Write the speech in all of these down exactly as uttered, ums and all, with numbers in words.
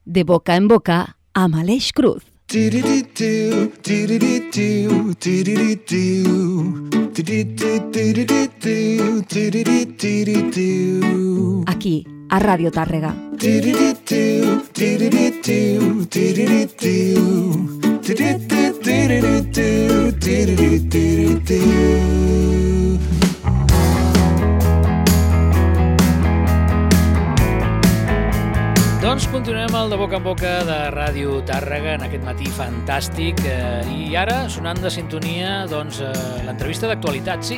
De boca en boca amb Aleix Cruz. Aquí, a Ràdio Tàrrega. Doncs continuem el de boca en boca de Ràdio Tàrrega en aquest matí fantàstic eh, i ara sonant de sintonia doncs, eh, l'entrevista d'actualitat. Sí,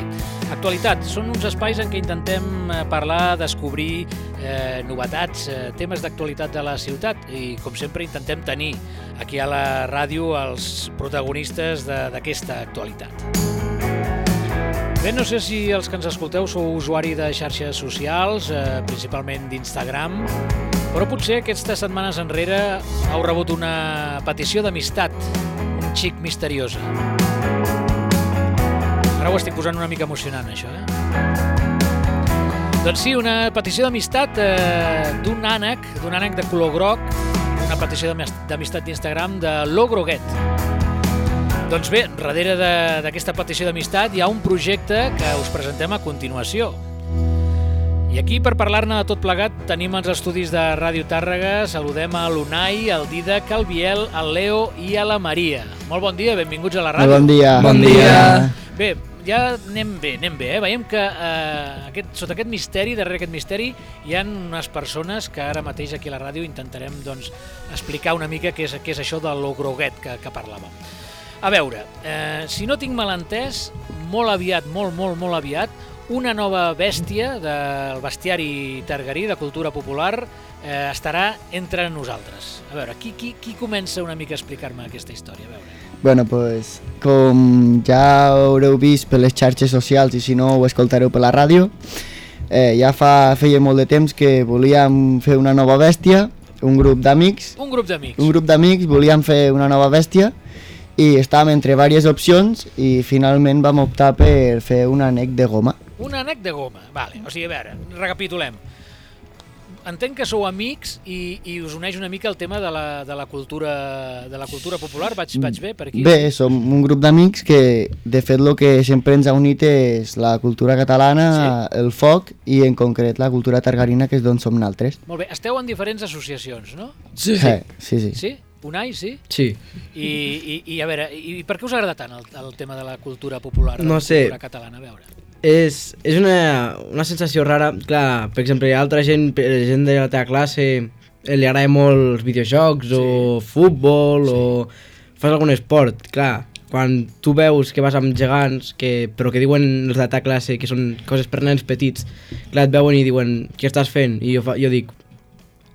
actualitat, són uns espais en què intentem eh, parlar, descobrir eh, novetats, eh, temes d'actualitat de la ciutat i com sempre intentem tenir aquí a la ràdio els protagonistes d'aquesta actualitat. Bé, no sé si els que ens escolteu sou usuari de xarxes socials, eh, principalment d'Instagram, però potser aquestes setmanes enrere heu rebut una petició d'amistat, un xic misteriosa. Ara ho estic posant una mica emocionant, això, eh? Doncs sí, una petició d'amistat eh, d'un ànec, d'un ànec de color groc, una petició d'amistat d'Instagram de l'O Groguet. Doncs bé, darrere d'aquesta petició d'amistat hi ha un projecte que us presentem a continuació. I aquí, per parlar-ne de tot plegat, tenim els estudis de Ràdio Tàrrega. Saludem a l'Unai, el Didac, el Biel, el Leo i a la Maria. Molt bon dia, benvinguts a la ràdio. Bon dia. Bon dia. Bé, ja anem bé, anem bé, eh? Veiem que eh, aquest, sota aquest misteri, darrere aquest misteri, hi ha unes persones que ara mateix aquí a la ràdio intentarem doncs, explicar una mica què és, què és això de l'O Groguet que, que parlàvem. A veure, eh, si no tinc mal entès, molt aviat, molt, molt, molt aviat, una nova bèstia del bestiari targarí, de cultura popular, eh, estarà entre nosaltres. A veure, qui, qui, qui comença una mica a explicar-me aquesta història? A veure. Bueno, pues, com ja haureu vist per les xarxes socials i si no ho escoltareu per la ràdio, eh, ja fa, feia molt de temps que volíem fer una nova bèstia, un grup d'amics. Un grup d'amics. Un grup d'amics, volíem fer una nova bèstia i estàvem entre diverses opcions i finalment vam optar per fer un ànec de goma. Un ànec de goma, vale. O sigui, a veure, recapitulem. Entenc que sou amics i, i us uneix una mica el tema de la, de la, cultura, de la cultura popular. Vaig, vaig bé per aquí? Bé, som un grup d'amics que, de fet, el que sempre ens ha unit és la cultura catalana, sí. El foc i, en concret, la cultura targarina, que és d'on som naltres. Molt bé. Esteu en diferents associacions, no? Sí, sí. Eh, sí, sí. Sí? Unai, sí? Sí. I, i, i a veure, i per què us agrada tant el, el tema de la cultura popular, de no la sé. cultura catalana? A veure. És, és una, una sensació rara. Clar, per exemple, hi ha altra gent, gent de la teva classe, li agrada molt els videojocs, sí. O futbol, sí. O fas algun esport. Clar, quan tu veus que vas amb gegants, que, però que diuen els de la teva classe que són coses per nens petits, clar, et veuen i diuen, què estàs fent? I jo, fa, jo dic,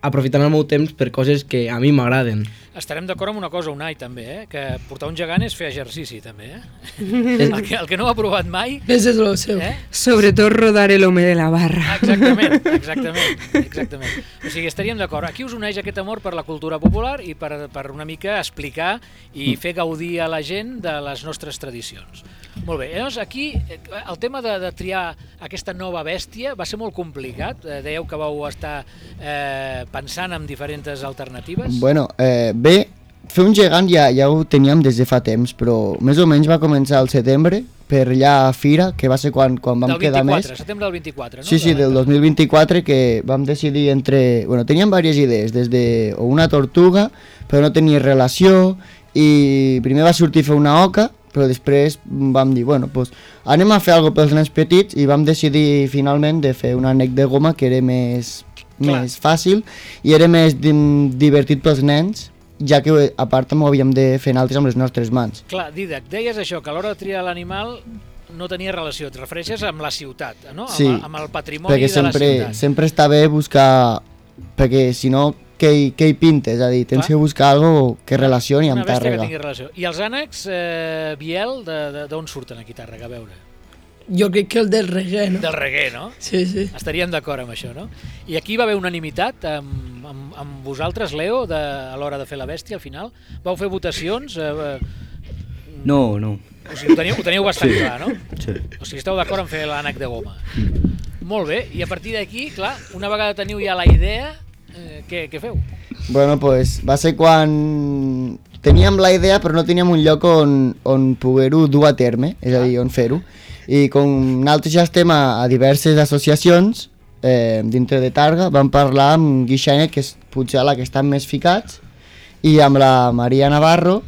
aprofitant el meu temps per coses que a mi m'agraden. Estarem d'acord amb una cosa, Unai, també, eh? Que portar un gegant és fer exercici, també, eh? el, que, el que no ho ha provat mai... Ves és lo seu. Eh? Sobretot rodar el home de la barra. Exactament, exactament, exactament. O sigui, estaríem d'acord. Aquí us uneix aquest amor per la cultura popular i per, per una mica explicar i fer gaudir a la gent de les nostres tradicions. Molt bé, llavors aquí el tema de, de triar aquesta nova bèstia va ser molt complicat. Eh, dèieu que vau estar eh, pensant en diferents alternatives. Bueno, eh, bé, fer un gegant ja, ja ho teníem des de fa temps, però més o menys va començar al setembre, per allà a Fira, que va ser quan, quan vam quedar més. Del vint-i-quatre, setembre del vint-i-quatre, no? Sí, sí, del dos mil vint-i-quatre, que vam decidir entre... Bueno, teníem diverses idees, des de una tortuga, però no tenia relació, i primer va sortir fer una oca, però després vam dir, bueno, pues, anem a fer alguna cosa pels nens petits i vam decidir finalment de fer un ànec de goma que era més, més fàcil i era més divertit pels nens, ja que a part també ho havíem de fer altres amb les nostres mans. Clar, Didac, deies això, que a l'hora de triar l'animal no tenia relació, et refereixes amb la ciutat, no? Sí, amb, amb el patrimoni perquè de la sempre, ciutat. sempre està bé buscar, perquè si no, què hi, què hi pintes? És a dir, tens Clar. que buscar alguna que relacioni amb Tàrrega. Una bèstia que tingui relació. I els ànecs, eh, Biel, d'on surten aquí a Tàrrega, a veure? Jo crec que el del reggae, no? Del reggae, no? Sí, sí. Estaríem d'acord amb això, no? I aquí va haver unanimitat amb, amb, amb vosaltres, Leo, de, a l'hora de fer la bèstia, al final? Vau fer votacions? Eh, no, no. O sigui, ho teniu, ho teniu bastant sí. clar, no? Sí. O sigui, esteu d'acord en fer l'ànec de goma. Mm. Molt bé, i a partir d'aquí, clar, una vegada teniu ja la idea, eh, què, què feu? Bueno, pues va ser quan teníem la idea però no teníem un lloc on, on poder-ho dur a terme, és a dir, on fer-ho. I com nosaltres ja estem a, a diverses associacions eh, dintre de Targa, vam parlar amb Guixanet, que és potser la que estan més ficats, i amb la Maria Navarro,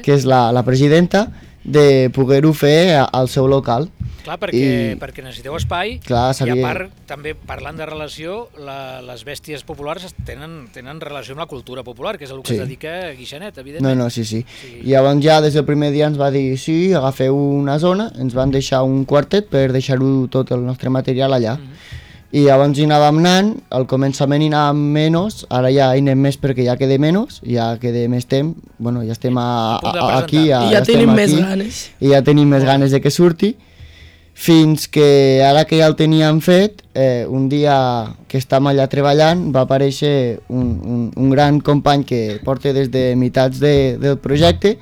que és la, la presidenta, de poder-ho fer a, al seu local. Clar, perquè, I, perquè necessiteu espai, clar, sabia... i a part, també parlant de relació, la, les bèsties populars tenen, tenen relació amb la cultura popular, que és el que sí. es dedica Guixanet, evidentment. No, no, sí, sí, sí. I llavors ja des del primer dia ens va dir, sí, agafeu una zona, ens van deixar un quartet per deixar-ho tot el nostre material allà. Mm-hmm. I llavors hi anàvem anant, al començament hi anàvem menys, ara ja hi anem més perquè ja queda menys, ja queda més temps, bueno, ja estem a, a, a, aquí, ja, I ja, ja tenim aquí, més ganes. I ja tenim més ganes de que surti, fins que ara que ja el teníem fet, eh, un dia que estàvem allà treballant va aparèixer un, un, un gran company que porta des de mitats de, del projecte,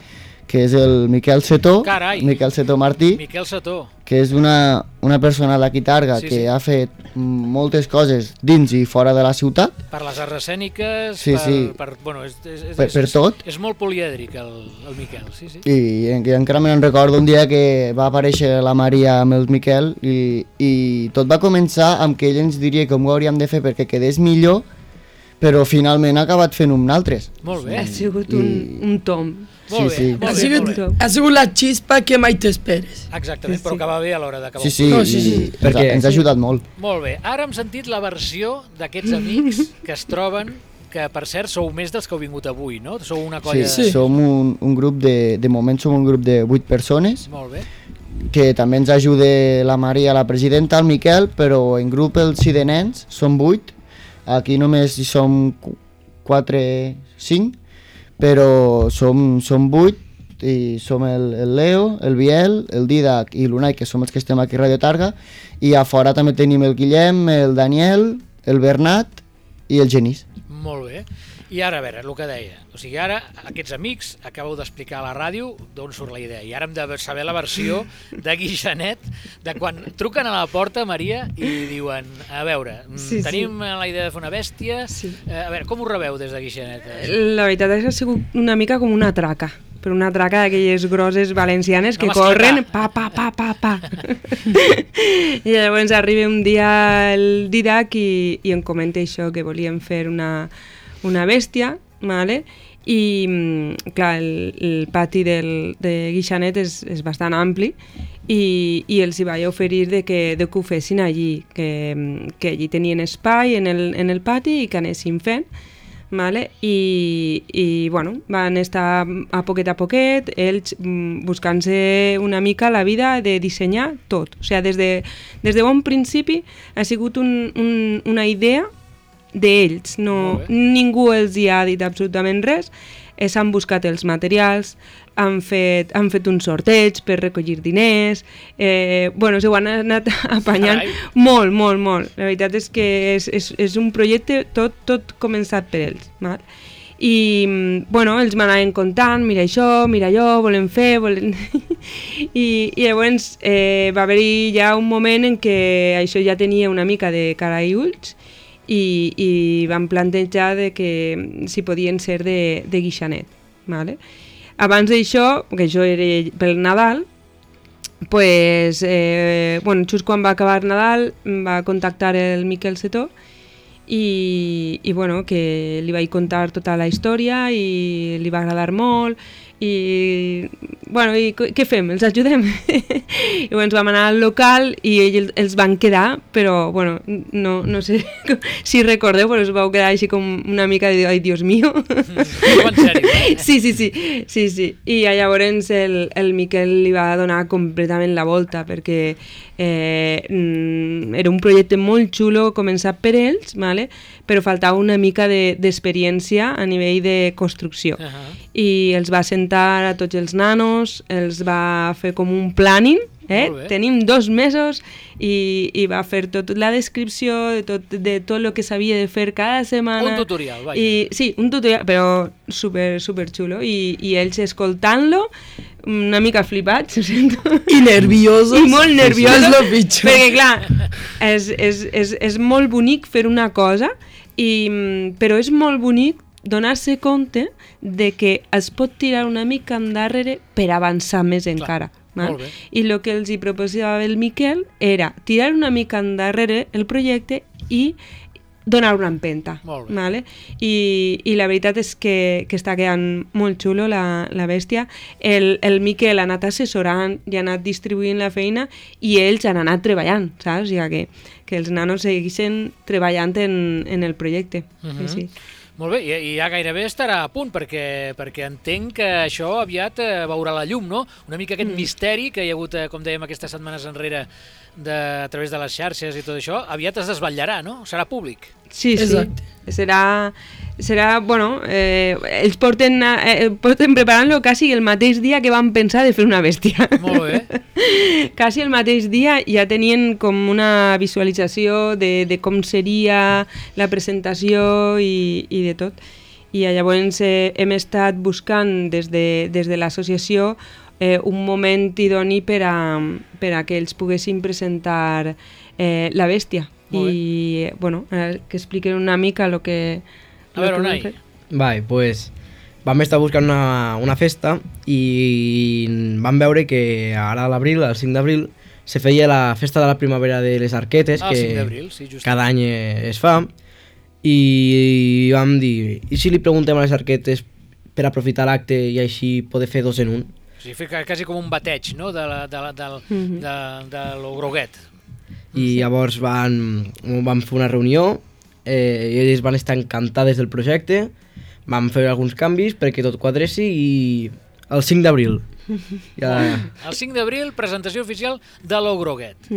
que és el Miquel Setó, Carai. Miquel Setó Martí, Miquel Setó. que és una, una persona d'aquí Targa sí, que sí. ha fet moltes coses dins i fora de la ciutat. Per les arts escèniques, sí, per, sí. per, bueno, és, és, és, per, per tot. És, és molt polièdric el, el Miquel, sí, sí. I, i encara me'n recordo un dia que va aparèixer la Maria amb el Miquel i, i tot va començar amb que ell ens diria com ho hauríem de fer perquè quedés millor, però finalment ha acabat fent un altres. Molt bé. Ha sigut un, I... un tom. Molt sí, bé, sí. molt ha, bé, sigut, molt bé. ha sigut la xispa que mai t'esperes. Exactament, sí, però que va bé a l'hora d'acabar. Sí, sí, no, sí, sí. I, perquè ens ha ajudat molt. Molt bé, ara hem sentit la versió d'aquests amics que es troben, que per cert sou més dels que heu vingut avui, no? Sou una colla... Sí, sí. som un, un grup de... De moment som un grup de vuit persones. Molt bé. Que també ens ajuda la Maria, la presidenta, el Miquel, però en grup els sí de nens som vuit. Aquí només hi som quatre, cinc, però som, som vuit i som el, el Leo, el Biel, el Didac i l'Unai, que som els que estem aquí a Radio Targa, i a fora també tenim el Guillem, el Daniel, el Bernat i el Genís. Molt bé. I ara, a veure, el que deia, o sigui, ara aquests amics acabeu d'explicar a la ràdio d'on surt la idea, i ara hem de saber la versió de Guixanet, de quan truquen a la porta, Maria, i diuen, a veure, sí, tenim sí. la idea de fer una bèstia, sí. eh, a veure, com ho rebeu des de Guixanet? La veritat és que ha sigut una mica com una traca, però una traca d'aquelles grosses valencianes que no corren, pa, pa, pa, pa, pa. I llavors arriba un dia el Didac i, i em comenta això, que volíem fer una... una bèstia, vale? I clar, el, el pati del, de Guixanet és, és bastant ampli i, i els hi vaig oferir de que, de que ho fessin allí, que, que allí tenien espai en el, en el pati i que anessin fent, vale? I, i bueno, van estar a poquet a poquet, ells buscant-se una mica la vida de dissenyar tot, o sigui, des de, des de bon principi ha sigut un, un, una idea d'ells, no, ningú els hi ha dit absolutament res, eh, s'han buscat els materials, han fet, han fet un sorteig per recollir diners, eh, bueno, s'ho han anat apanyant Carai. molt, molt, molt. La veritat és que és, és, és un projecte tot, tot començat per ells, val? I, bueno, ells m'anaven contant, mira això, mira allò, volem fer, volem... I, i llavors eh, va haver-hi ja un moment en què això ja tenia una mica de cara i ulls, i, i van plantejar de que si podien ser de, de Guixanet, vale? Abans d'això, que això era pel Nadal, pues, eh, bueno, just quan va acabar Nadal va contactar el Miquel Setó i, i bueno, que li vaig contar tota la història i li va agradar molt i bueno, i què fem? Els ajudem? I bueno, ens vam anar al local i ells els van quedar, però bueno, no, no sé si recordeu, però es vau quedar així com una mica de ai, Dios mío. En sèrio, eh? Sí, sí, sí, sí, sí. I llavors el, el Miquel li va donar completament la volta perquè eh, era un projecte molt xulo començat per ells, vale? Però faltava una mica d'experiència de, a nivell de construcció. Uh-huh. I els va sentar a tots els nanos, els va fer com un planning, eh? Tenim dos mesos i, i va fer tota la descripció de tot, de tot el que s'havia de fer cada setmana. Un tutorial, vaja. I, sí, un tutorial, però super, super xulo. I, i ells escoltant-lo, una mica flipats, ho sento. I nerviosos. I molt nerviosos. És lo pitjor. Perquè, clar, és, és, és, és molt bonic fer una cosa, i, però és molt bonic donar-se compte de que es pot tirar una mica endarrere per avançar més encara. Molt bé. I el que els hi proposava el Miquel era tirar una mica endarrere el projecte i donar una empenta. Molt bé. Vale? I, I la veritat és que, que està quedant molt xulo la, la bèstia. El, el Miquel ha anat assessorant i ha anat distribuint la feina i ells han anat treballant, saps? O sigui que, que els nanos segueixen treballant en, en el projecte. Mhm. Sí, sí. Molt bé, i, i ja gairebé estarà a punt, perquè, perquè entenc que això aviat eh, veurà la llum, no? Una mica aquest mm. misteri que hi ha hagut, eh, com dèiem, aquestes setmanes enrere de, a través de les xarxes i tot això, aviat es desvetllarà, no? Serà públic. Sí, sí. Exacte. Serà, serà, bueno, eh, ells porten, eh, porten preparant-lo quasi el mateix dia que van pensar de fer una bèstia. Molt bé. Quasi el mateix dia ja tenien com una visualització de, de com seria la presentació i, i de tot. I llavors eh, hem estat buscant des de, des de l'associació eh, un moment idoni per a, per a que ells poguessin presentar eh, la bèstia. I, bueno, que expliquen una mica el que... A veure, Unai. Vale, pues vam estar buscant una, una festa i vam veure que ara a l'abril, el cinc d'abril, se feia la festa de la primavera de les Arquetes, Ah, el cinc que d'abril, sí, justament. cada any es fa, i vam dir, i si li preguntem a les Arquetes per aprofitar l'acte i així poder fer dos en un? O sigui, fer quasi com un bateig, no?, de, la, de, la, del, Mhm. de, de lo groguet. I llavors van, vam fer una reunió eh, i ells van estar encantades del projecte, vam fer alguns canvis perquè tot quadressi i el cinc d'abril. Ja... El cinc d'abril, presentació oficial de lo groguet.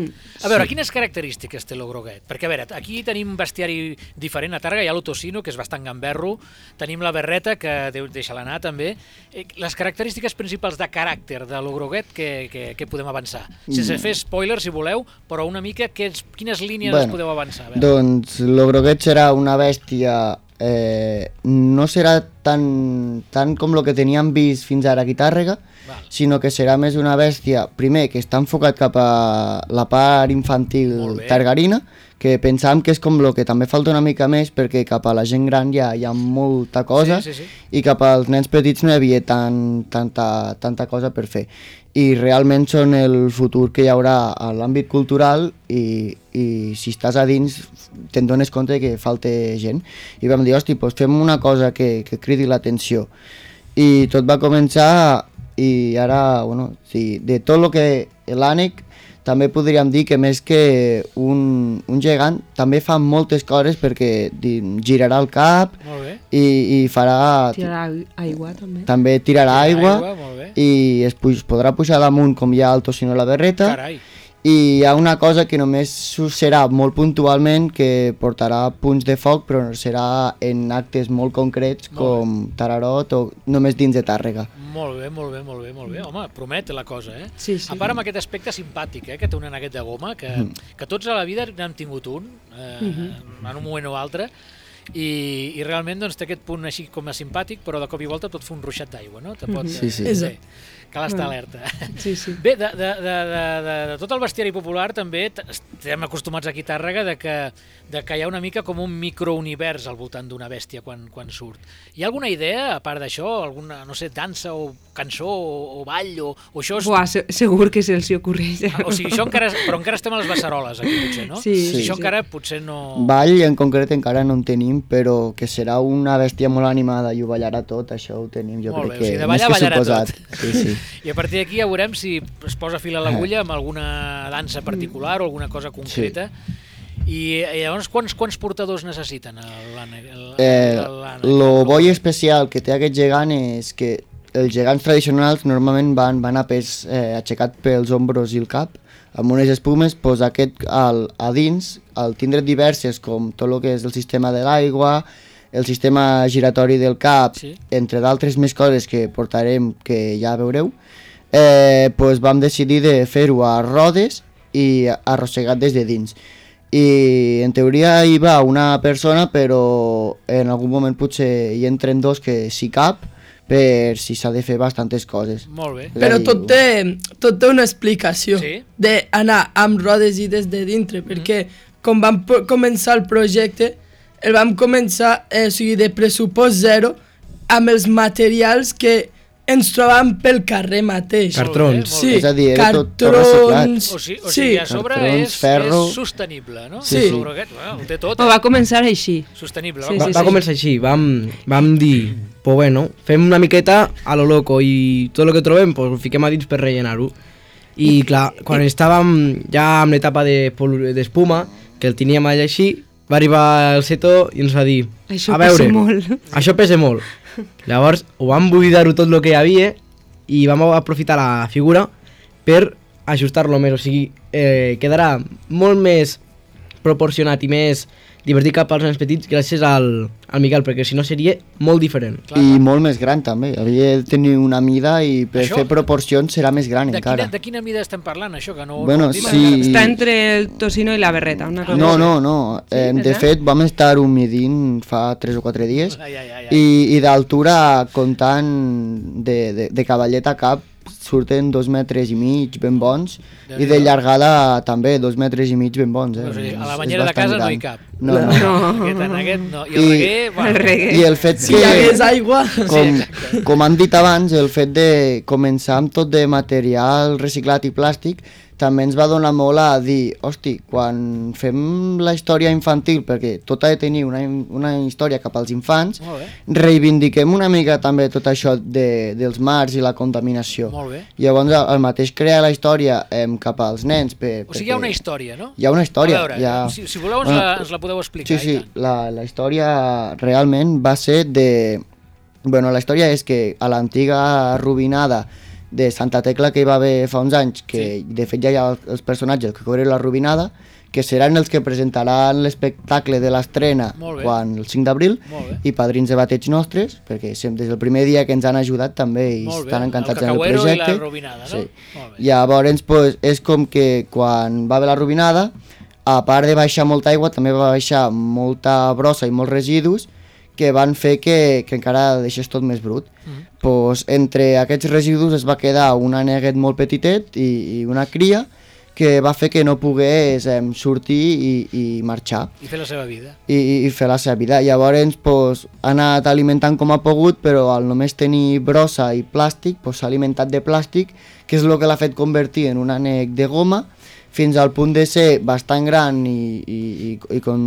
A veure, quines característiques té lo groguet? Perquè, a veure, aquí tenim bestiari diferent a Tàrrega, hi ha l'Otocino, que és bastant gamberro, tenim la Berreta, que deixa-la anar també. Les característiques principals de caràcter de lo groguet que, que, que podem avançar? Sense fer spoiler, si voleu, però una mica que, quines línies bueno, podeu avançar? Doncs lo groguet serà una bèstia... Eh, no serà tan, tan com el que teníem vist fins ara aquí a Tàrrega, Val. sinó que serà més una bèstia, primer, que està enfocat cap a la part infantil targarina, que pensàvem que és com el que també falta una mica més, perquè cap a la gent gran ja hi ha molta cosa, sí, sí, sí. i cap als nens petits no hi havia tan, tanta, tanta cosa per fer. I realment són el futur que hi haurà a l'àmbit cultural i, i si estàs a dins te'n dones compte que falta gent. I vam dir, hosti, doncs fem una cosa que, que cridi l'atenció. I tot va començar i ara, bueno, sí, de tot el que l'ànec també podríem dir que més que un, un gegant també fa moltes coses perquè girarà el cap i, i farà... Tirarà aigua també. També tirarà aigua, aigua i es puj, podrà pujar damunt com hi ha el Tocino a la Berreta. Carai. I hi ha una cosa que només serà molt puntualment, que portarà punts de foc, però serà en actes molt concrets com Tararot o només dins de Tàrrega. Molt bé, molt bé, molt bé, molt bé. Home, promet la cosa, eh? Sí, sí. A part amb aquest aspecte simpàtic, eh, que té un aneguet de goma, que, mm. que tots a la vida n'hem tingut un, eh, mm-hmm. en un moment o altre, i, i realment doncs, té aquest punt així com a simpàtic, però de cop i volta tot fa un ruixat d'aigua, no? Te pot, mm-hmm. Sí, sí. Bé, cal estar alerta. Sí, sí. Bé, de, de, de, de, de, de tot el bestiari popular també estem acostumats aquí a Tàrrega de que, de que hi ha una mica com un microunivers al voltant d'una bèstia quan, quan surt. Hi ha alguna idea, a part d'això, alguna, no sé, dansa o cançó o, o ball o, o això? És... Buah, se segur que se'ls ocorreix. Ah, o sigui, això encara, però encara estem a les beceroles aquí, potser, no? Sí, sí, això sí. encara potser no... Ball en concret encara no en tenim, però que serà una bèstia molt animada i ho ballarà tot, això ho tenim, jo molt crec bé, o sigui, que de ballar, més que ballarà suposat. tot. Sí, sí. I a partir d'aquí ja veurem si es posa fil a l'agulla amb alguna dansa particular o alguna cosa concreta. Sí. I, I llavors quants, quants portadors necessiten l'ànec? Eh, lo bo i especial que té aquest gegant és que els gegants tradicionals normalment van, van a pes eh, aixecat pels ombros i el cap, amb unes espumes, doncs aquest al, a dins, al tindre diverses com tot el que és el sistema de l'aigua, el sistema giratori del cap, sí. entre d'altres més coses que portarem que ja veureu, eh, doncs vam decidir de fer-ho a rodes i arrossegat des de dins. I en teoria hi va una persona, però en algun moment potser hi entren dos que si cap, per si s'ha de fer bastantes coses. Molt bé. Però tot té, tot té una explicació sí? d'anar amb rodes i des de dintre, perquè com vam començar el projecte, el vam començar, eh, o sigui, de pressupost zero, amb els materials que ens trobàvem pel carrer mateix. Cartrons. Sí, És a dir, era tot- tot cartrons... O sigui, o sí, sigui a sobre Cartrons, és, ferro. és sostenible, no? Sí. El broguet, bueno, ho té tot, O eh? va començar així. Sostenible. Sí, va, Va, sí, va començar així, vam, vam dir, pues bueno, fem una miqueta a lo loco i tot el que trobem pues, ho fiquem a dins per rellenar-ho. I clar, quan estàvem ja en l'etapa de pol- d'espuma, que el teníem allà així, va arribar el Seto i ens va dir, Això a veure, pesa molt. això pesa molt. Llavors ho vam buidar-ho tot el que hi havia i vam aprofitar la figura per ajustar-lo més, o sigui, eh, quedarà molt més proporcionat i més divertit cap als nens petits gràcies al, al Miquel, perquè si no seria molt diferent. Clar, I clar. molt més gran també, havia de tenir una mida i per Això- fer proporcions serà més gran De encara. quina, de quina mida estem parlant, això? Que no, Bueno, no ho hem dit? sí. Està entre el tocino i la berreta, una cosa No, així. no, no, eh, de verdad? fet vam estar-ho midint fa tres o quatre dies Ai, ai, ai, ai. i, i d'altura comptant de, de, de cavallet a cap surten dos metres i mig ben bons i de llargada també dos metres i mig ben bons. Eh? O sigui, a la És- banyera és de casa bastant no hi gran. cap. No, no. No. Aquest, en aquest no. I el I- reguer, bueno, El reguer. I el fet Si hi hagués que, aigua... com, com han dit abans, el fet de començar amb tot de material reciclat i plàstic també ens va donar molt a dir, hosti, quan fem la història infantil, perquè tot ha de tenir una, una història cap als infants, Molt bé. reivindiquem una mica també tot això de, dels mars i la contaminació. Molt bé. Llavors el, el mateix crear la història eh, cap als nens. Per, O sigui, hi ha perquè- una història, no? Hi ha una història. A veure, hi ha... si, si voleu ens, Bueno, la, ens la podeu explicar. Sí, sí, i tant. la, la història realment va ser de... Bueno, la història és que a l'antiga Rubinada de Santa Tecla que hi va haver fa uns anys, que Sí. de fet ja hi ha els personatges que cobren la Rubinada, que seran els que presentaran l'espectacle de l'estrena Molt bé. quan el cinc d'abril, Molt bé. i padrins de bateig nostres, perquè sempre des del primer dia que ens han ajudat també i Molt bé. estan encantats El en el cacauero projecte. i la robinada, no? Sí. Molt bé. Llavors, pues, és com que quan va haver la Rubinada, a part de baixar molta aigua, també va baixar molta brossa i molts residus que van fer que, que encara deixés tot més brut. Mm. Pues, entre aquests residus es va quedar un aneguet molt petitet i, i una cria que va fer que no pogués eh, sortir i, i marxar I fer la seva vida. i, i fer la seva vida. Llavors pues, ha anat alimentant com ha pogut, però al només tenir brossa i plàstic pues, s'ha alimentat de plàstic, que és el que l'ha fet convertir en un ànec de goma, fins al punt de ser bastant gran i, i, i, i, con,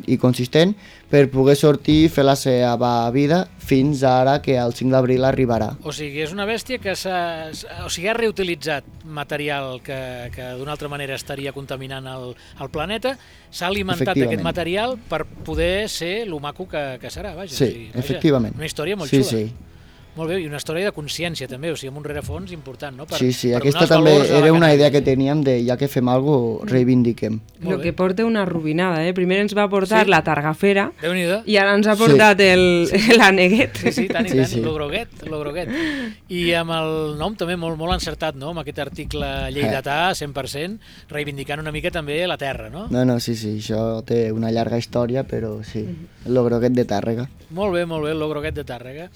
i consistent per poder sortir i fer la seva vida fins ara que el cinc d'abril arribarà. O sigui, és una bèstia que s'ha o sigui, ha reutilitzat material que, que d'una altra manera estaria contaminant el, el planeta, s'ha alimentat Efectivament. d'aquest material per poder ser lo maco que, que serà. Vaja, Sí, o sigui, vaja, efectivament. Una història molt Sí, xula. sí. Molt bé, i una història de consciència també, o sigui, amb un rerefons important, no? Per, Sí, sí, per aquesta donar els també valors a la era una idea que cannabis. teníem de ja que fem alguna cosa, reivindiquem. Molt El bé. que porta una rubinada, eh? Primer ens va portar Sí. la targafera Déu-n'hi-do. i ara ens ha portat el l'aneguet. Sí, sí, tant i Sí, tant, sí. lo groguet, lo groguet. I amb el nom també molt, molt encertat, no?, amb aquest article lleidatà, cent per cent, reivindicant una mica també la terra, no? No, no, sí, sí, això té una llarga història, però sí, el groguet de Tàrrega. Molt bé, molt bé, el groguet de Tàrrega.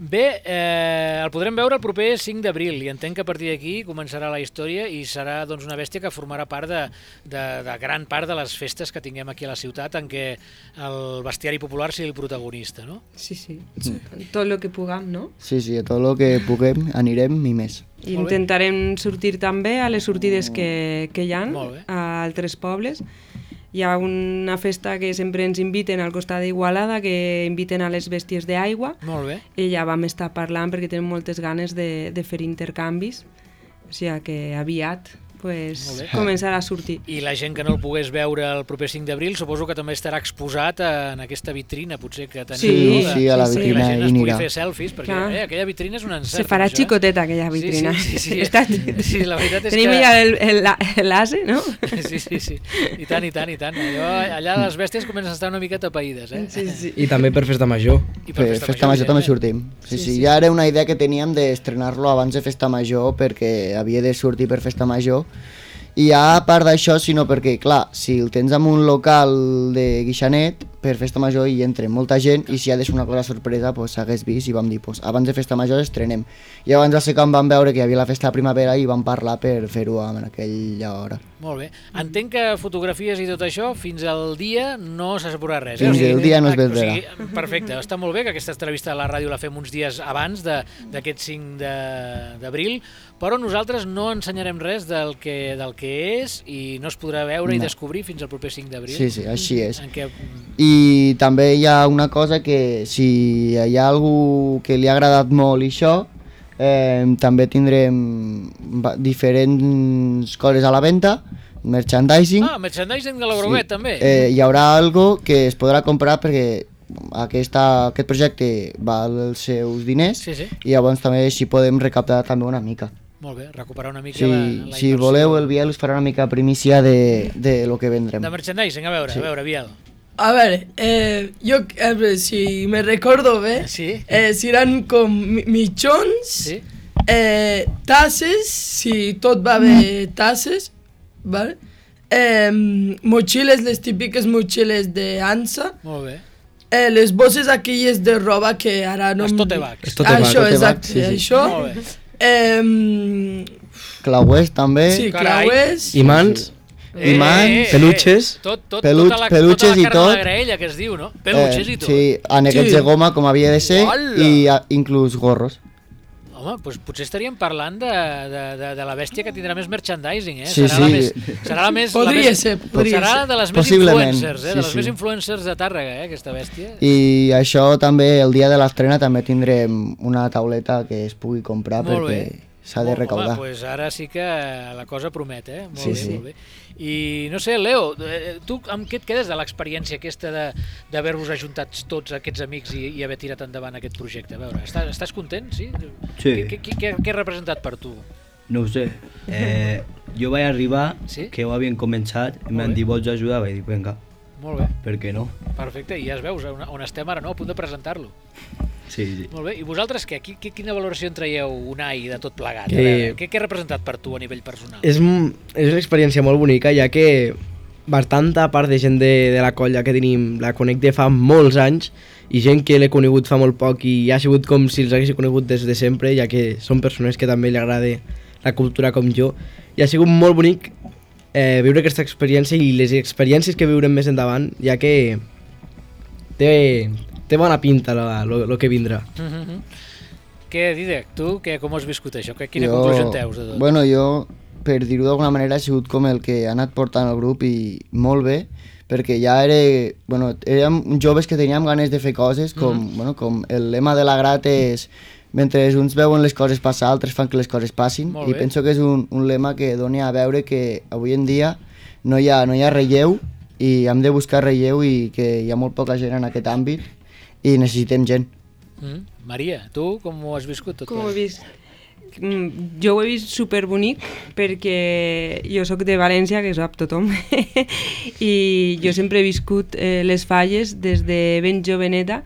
Bé, eh, el podrem veure el proper cinc d'abril i entenc que a partir d'aquí començarà la història i serà doncs, una bèstia que formarà part de, de, de gran part de les festes que tinguem aquí a la ciutat en què el bestiari popular sigui el protagonista, no? Sí, sí. Tot el que puguem, no? Sí, sí, a tot el que puguem anirem i més. I Molt bé. intentarem sortir també a les sortides que, que hi ha Molt bé. a altres pobles. Hi ha una festa que sempre ens inviten al costat d'Igualada, que inviten a les bèsties d'aigua, Molt bé. i ja vam estar parlant perquè tenim moltes ganes de, de fer intercanvis, o sigui que aviat pues, Molt bé. començarà a sortir. I la gent que no el pogués veure el proper cinc d'abril suposo que també estarà exposat en aquesta vitrina, potser que tenim. Sí, no? De- sí, a la sí, sí. que la vitrina gent hi es pugui anirà. fer selfies, perquè Clar. eh, aquella vitrina és un encert. Se farà això, eh? xicoteta aquella vitrina. Sí, sí, sí, sí. Està... Sí, la veritat és Tenim que... ja el- el- l'ase, no? Sí, sí, sí. I tant, i tant, i tant. Allò, allà les bèsties comencen a estar una mica tapaïdes, eh? Sí, sí. I també per festa major. I per Per Festa Major també evidentment. sortim. Sí, sí, ja era una idea que teníem d'estrenar-lo abans de Festa Major perquè havia de sortir per Festa Major. I ja a part d'això, sinó perquè, clar, si el tens en un local de guixanet, per festa major hi entra molta gent i si ha de ser una cosa sorpresa pues, s'hagués vist i vam dir pues, abans de festa major estrenem. I abans de ser quan vam veure que hi havia la festa de primavera i vam parlar per fer-ho en aquella hora. Molt bé. Entenc que fotografies i tot això fins al dia no se sabrà res. Fins eh? el dia no es o veurà. sigui, perfecte, està molt bé que aquesta entrevista a la ràdio la fem uns dies abans d'aquest cinc d'abril, però nosaltres no ensenyarem res del que, del que és i no es podrà veure no. i descobrir fins al proper cinc d'abril. Sí, sí, així és. En què... I també hi ha una cosa que si hi ha algú que li ha agradat molt i això, eh, també tindrem diferents coses a la venda, merchandising. Ah, merchandising de l'Eurovet, sí. també. Eh, hi haurà algo que es podrà comprar perquè aquesta, aquest projecte val els seus diners sí, sí. i llavors també si podem recaptar també una mica. Molt bé, recuperar una mica sí, la, la si inversió. voleu el Biel us farà una mica primícia de, de lo que vendrem. De merchandising, a veure, sí. a veure, Biel. A ver, eh, yo, a ver, si me recuerdo bien, sí. eh, serán con michons, sí. eh, tasses, si tot va bé tasses, ¿vale? Eh, mochiles, les típiques mochiles de Ansa. Molt bé. Eh, les bosses aquelles de roba que ara no... Els tote bags. Els tote bags. Això, tote exacte, sí, sí. això. Molt bé. Eh, clauers també. sí, Carai. clauers. Imants, Eh, Imants, eh, eh, peluches. Tot, tot, Pelut- tota la, peluches tota i la carn tot. de la graella que es diu, no? Peluches eh, i tot. Sí, aneguets Sí. de goma com havia de ser Hola. i a, inclús gorros. Home, doncs potser estaríem parlant de, de, de, de la bèstia que tindrà més merchandising, eh? Sí, serà, la sí. més, serà la més... Podria la més, ser, podria serà ser. de les més Possiblement, influencers, eh? sí, de les sí. més influencers de Tàrrega, eh? Aquesta bèstia. I això també, el dia de l'estrena també tindrem una tauleta que es pugui comprar Molt perquè bé. s'ha de recaudar. Home, doncs ara sí que la cosa promet, eh? Molt Sí, bé, sí. molt bé. I no sé, Leo, eh, tu amb què et quedes de l'experiència aquesta de- d'haver-vos ajuntat tots aquests amics i, i haver tirat endavant aquest projecte? A veure, estàs, estàs content, sí? Sí. Què, què, què, què ha representat per tu? No ho sé. Eh, jo vaig arribar, Sí? que ho havien començat, i Molt m'han bé. dit, vols ajudar? Vaig dir, vinga, Molt bé, per què no? perfecte. I ja es veus on, on estem ara, no? A punt de presentar-lo. Sí, sí. Molt bé. I vosaltres què? Qui, qui, quina valoració en traieu, Unai, de tot plegat? Que- A veure, què, què ha representat per tu a nivell personal? És, m- és una experiència molt bonica, ja que bastanta part de gent de, de la colla que tenim la conec de fa molts anys i gent que l'he conegut fa molt poc i ha sigut com si els hagués conegut des de sempre, ja que són persones que també li agrada la cultura com jo. I ha sigut molt bonic eh, viure aquesta experiència i les experiències que viurem més endavant, ja que té, té bona pinta el que vindrà. Mm -hmm. Què, Didec, tu què, com has viscut això? Que- Quina Jo- conclusió en teus de tot? Bueno, jo, per dir-ho d'alguna manera, he sigut com el que ha anat portant el grup i molt bé, perquè ja era, bueno, érem joves que teníem ganes de fer coses, com, Mhm. bueno, com el lema de la Grat és mentre uns veuen les coses passar, altres fan que les coses passin, Molt i bé. penso que és un, un lema que doni a veure que avui en dia no hi ha, no hi ha relleu i hem de buscar relleu i que hi ha molt poca gent en aquest àmbit i necessitem gent. Mm. Maria, tu com ho has viscut tot? Com ho he plegat? vist? Mm, Jo ho he vist superbonic perquè jo sóc de València, que ho sap tothom, i jo sempre he viscut eh, les falles des de ben joveneta,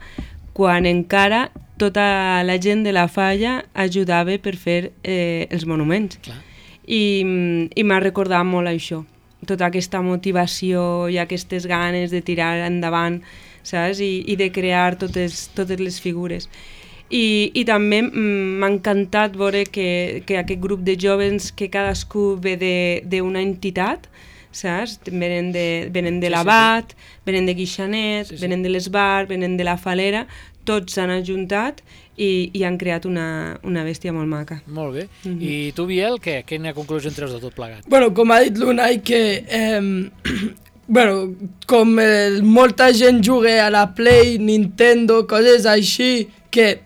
quan encara tota la gent de la falla ajudava per fer eh, els monuments. Clar. I, mm, i m'ha recordat molt això, tota aquesta motivació i aquestes ganes de tirar endavant, saps? I, i de crear totes, totes les figures. I, i també mm, m'ha encantat veure que, que aquest grup de joves que cadascú ve de- d'una entitat, saps? Venen de, venen de Sí, sí, l'Abat, venen de Guixanet, Sí, sí. venen de l'Esbar, venen de la Falera, tots s'han ajuntat i, i han creat una, una bèstia molt maca. Molt bé. Mhm. I tu, Biel, què? Quina conclusió en treus de tot plegat? Bueno, com ha dit l'Unai, que eh, bueno, com el, molta gent juga a la Play, Nintendo, coses així, que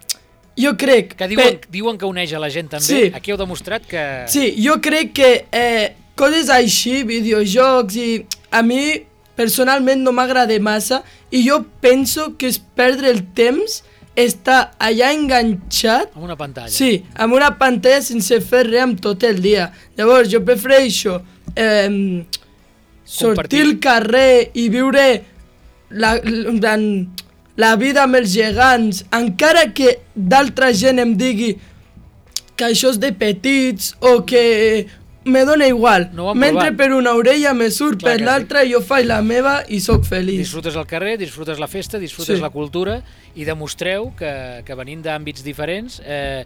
jo crec... Que diuen, pe- diuen que uneix a la gent també. Sí. Aquí heu demostrat que... Sí, jo crec que eh, coses així, videojocs, i a mi personalment no m'agrada massa i jo penso que és perdre el temps estar allà enganxat, Amb una pantalla. sí, amb una pantalla sense fer res amb tot el dia. Llavors jo prefereixo eh, sortir al carrer i viure la, la, la vida amb els gegants, encara que d'altra gent em digui que això és de petits o que me dona igual. No Mentre per una orella me surt, Clar per que l'altra jo faig la meva i sóc feliç. Disfrutes el carrer, disfrutes la festa, disfrutes Sí. la cultura i demostreu que, que venint d'àmbits diferents eh,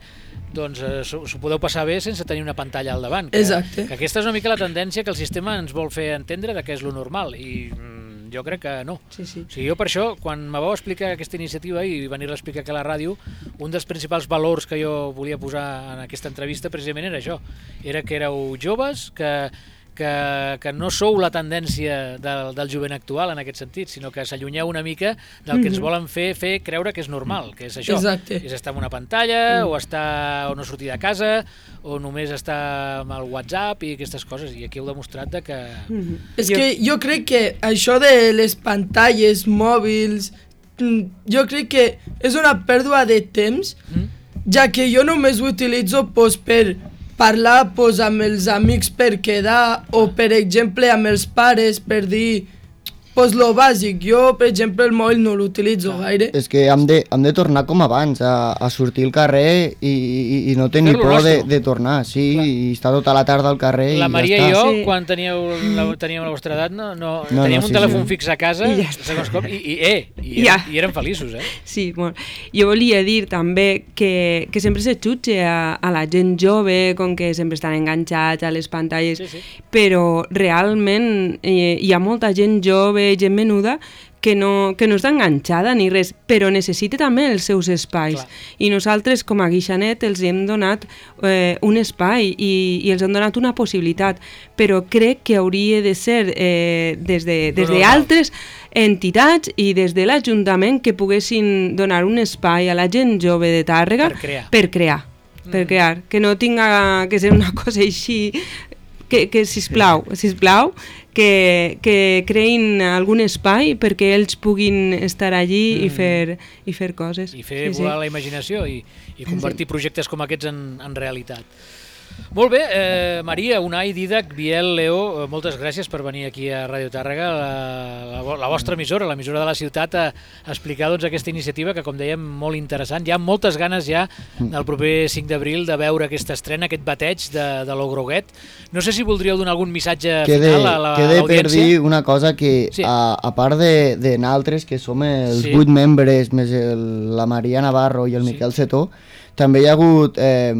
doncs eh, s'ho s'ho podeu passar bé sense tenir una pantalla al davant. Que, Exacte. Que aquesta és una mica la tendència que el sistema ens vol fer entendre de què és lo normal i mm, jo crec que no. Sí, sí. O sigui, jo per això, quan me vau explicar aquesta iniciativa i venir-la a explicar aquí a la ràdio, un dels principals valors que jo volia posar en aquesta entrevista precisament era això. Era que éreu joves, que, que, que no sou la tendència del, del jovent actual en aquest sentit, sinó que s'allunyeu una mica del que ens volen fer fer creure que és normal, que és això. Exacte. És estar en una pantalla, o estar o no sortir de casa, o només estar amb el WhatsApp i aquestes coses, i aquí heu demostrat de que... És que jo crec que això de les pantalles mòbils, mm, jo crec que és una pèrdua de temps, Mm? ja que jo només ho utilitzo pues, per parlar pues, amb els amics per quedar, o per exemple amb els pares per dir pues, lo bàsic. Jo, per exemple, el mòbil no l'utilitzo gaire. És que hem de, hem de tornar com abans, a, a sortir al carrer i, i, i no tenir Fer-lo por de, nostre. de tornar, sí, Clar. i estar tota la tarda al carrer La i Maria ja i està. jo, Sí. quan teníeu la, teníem la vostra edat, no, no, No, teníem no, un sí, telèfon sí. fix a casa, I ja està. segons com, i, i, eh, i, Ja. eren, i eren feliços, eh? Sí, molt. Jo volia dir també que, que sempre se jutge a, a la gent jove, com que sempre estan enganxats a les pantalles, Sí, sí. però realment eh, hi ha molta gent jove, gent menuda, que no, que no està enganxada ni res, però necessita també els seus espais. Clar. I nosaltres, com a Guixanet, els hem donat eh, un espai i, i els hem donat una possibilitat, però crec que hauria de ser eh, des de, des No, no, de no. altres entitats i des de l'Ajuntament que poguessin donar un espai a la gent jove de Tàrrega Per crear. per crear, per crear, que no tinga que ser una cosa així, que, que sisplau, sisplau, que, que creïn algun espai perquè ells puguin estar allí i, fer, i fer coses. I fer Sí, sí. volar la imaginació i, i convertir projectes com aquests en, en realitat. Molt bé, eh, Maria, Unai, Didac, Biel, Leo, eh, moltes gràcies per venir aquí a Ràdio Tàrrega, la, la, vo- la vostra emissora, l'emissora de la ciutat, a, a explicar doncs, aquesta iniciativa que, com dèiem, molt interessant. Hi ha moltes ganes ja el proper cinc d'abril de veure aquesta estrena, aquest bateig de, de l'Ogroguet. No sé si voldríeu donar algun missatge Quede, final a la- a quede per l'audiència. dir una cosa que Sí. a, a part de, de naltres, que som els Sí. vuit membres, més el, la Maria Navarro i el Sí. Miquel Cetó, també hi ha hagut eh,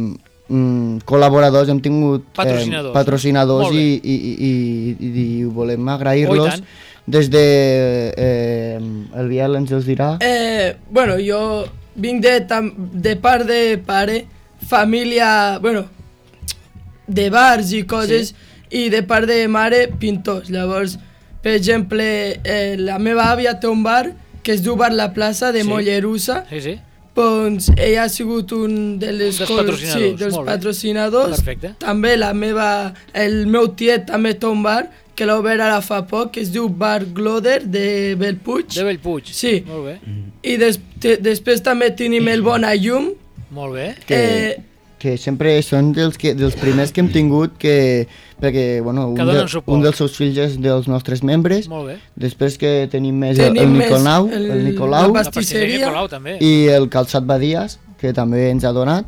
mm, col·laboradors, hem tingut Patrocinadors. eh, patrocinadors Molt bé. i, i, i, i, i volem Oh, i agrair-los. tant. Des de eh, el Biel ens els dirà. Eh, bueno, jo vinc de, tam, de part de pare, família, bueno, de bars i coses, i de part de mare, pintors. Llavors, per exemple, eh, la meva àvia té un bar que es diu Bar La Plaça de Sí. Mollerussa, Sí, sí. doncs ella ha sigut un de les dels col- patrocinadors, sí, dels molt bé. patrocinadors. Perfecte. També la meva, el meu tiet també té un bar que l'ha obert ara fa poc, que es diu Bar Gloder de Bellpuig. De Bellpuig. Sí. Molt bé. I des, te, després també tenim el Bona Llum. Molt bé. Que, Eh, que sempre són dels, que, dels primers que hem tingut que, perquè bueno, un, Que donen de, suport. un dels seus fills és dels nostres membres. Molt bé. Després que tenim més el, Tenim el més Nicolau, el- el, la Nicolau La pastisseria. pastisseria Colau també. i el Calçat Badies, que també ens ha donat.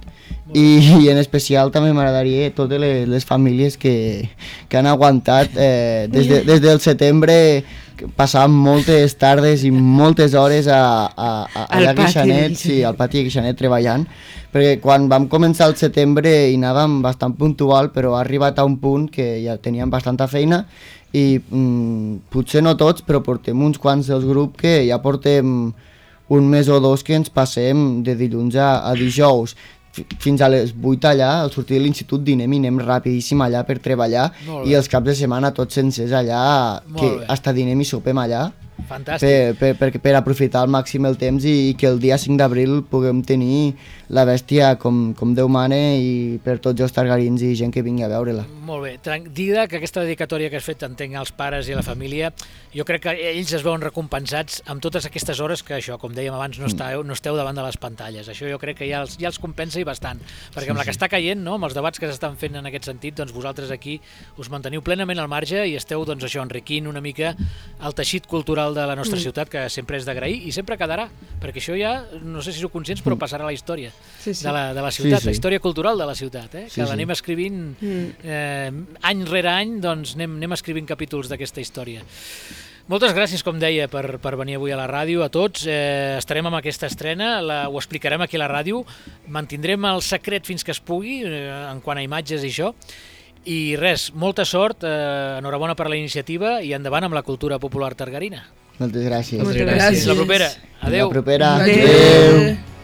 I, i en especial també m'agradaria totes les, les famílies que, que han aguantat eh, des, de, des del setembre, que passàvem moltes tardes i moltes hores a, a, a, Al allà a pati de Guixanet, Guixanet. sí, al pati de Guixanet treballant, perquè quan vam començar el setembre hi anàvem bastant puntual, però ha arribat a un punt que ja teníem bastanta feina i mm, potser no tots, però portem uns quants dels grups que ja portem un mes o dos que ens passem de dilluns a, a dijous fi- fins a les vuit allà, al sortir de l'institut dinem i anem rapidíssim allà per treballar Molt bé. i els caps de setmana tots sencers allà, Molt que bé. hasta dinem i sopem allà Fantàstic. per, per, per, per aprofitar al màxim el temps i, i que el dia cinc d'abril puguem tenir la bèstia com, com Déu mana i per tots els targarins i gent que vingui a veure-la. Molt bé. Tran- Dida, que aquesta dedicatòria que has fet entenc als pares i a la família, jo crec que ells es veuen recompensats amb totes aquestes hores que això, com dèiem abans, no esteu, no esteu davant de les pantalles. Això jo crec que ja els, ja els compensa i bastant, perquè amb la que està caient, no, amb els debats que s'estan fent en aquest sentit, doncs vosaltres aquí us manteniu plenament al marge i esteu doncs, això enriquint una mica el teixit cultural cultural de la nostra ciutat, que sempre és d'agrair i sempre quedarà, perquè això ja, no sé si sou conscients, però passarà a la història Sí, sí. de la, de la ciutat, Sí, sí. la història cultural de la ciutat, eh? Sí, que sí. l'anem escrivint eh, any rere any, doncs anem, anem escrivint capítols d'aquesta història. Moltes gràcies, com deia, per, per venir avui a la ràdio, a tots. Eh, estarem amb aquesta estrena, la, ho explicarem aquí a la ràdio, mantindrem el secret fins que es pugui, eh, en quant a imatges i això, i res, molta sort, eh, enhorabona per la iniciativa i endavant amb la cultura popular targarina. Moltes gràcies. Moltes gràcies. Fins la propera. Fins Adéu. la propera. Adéu.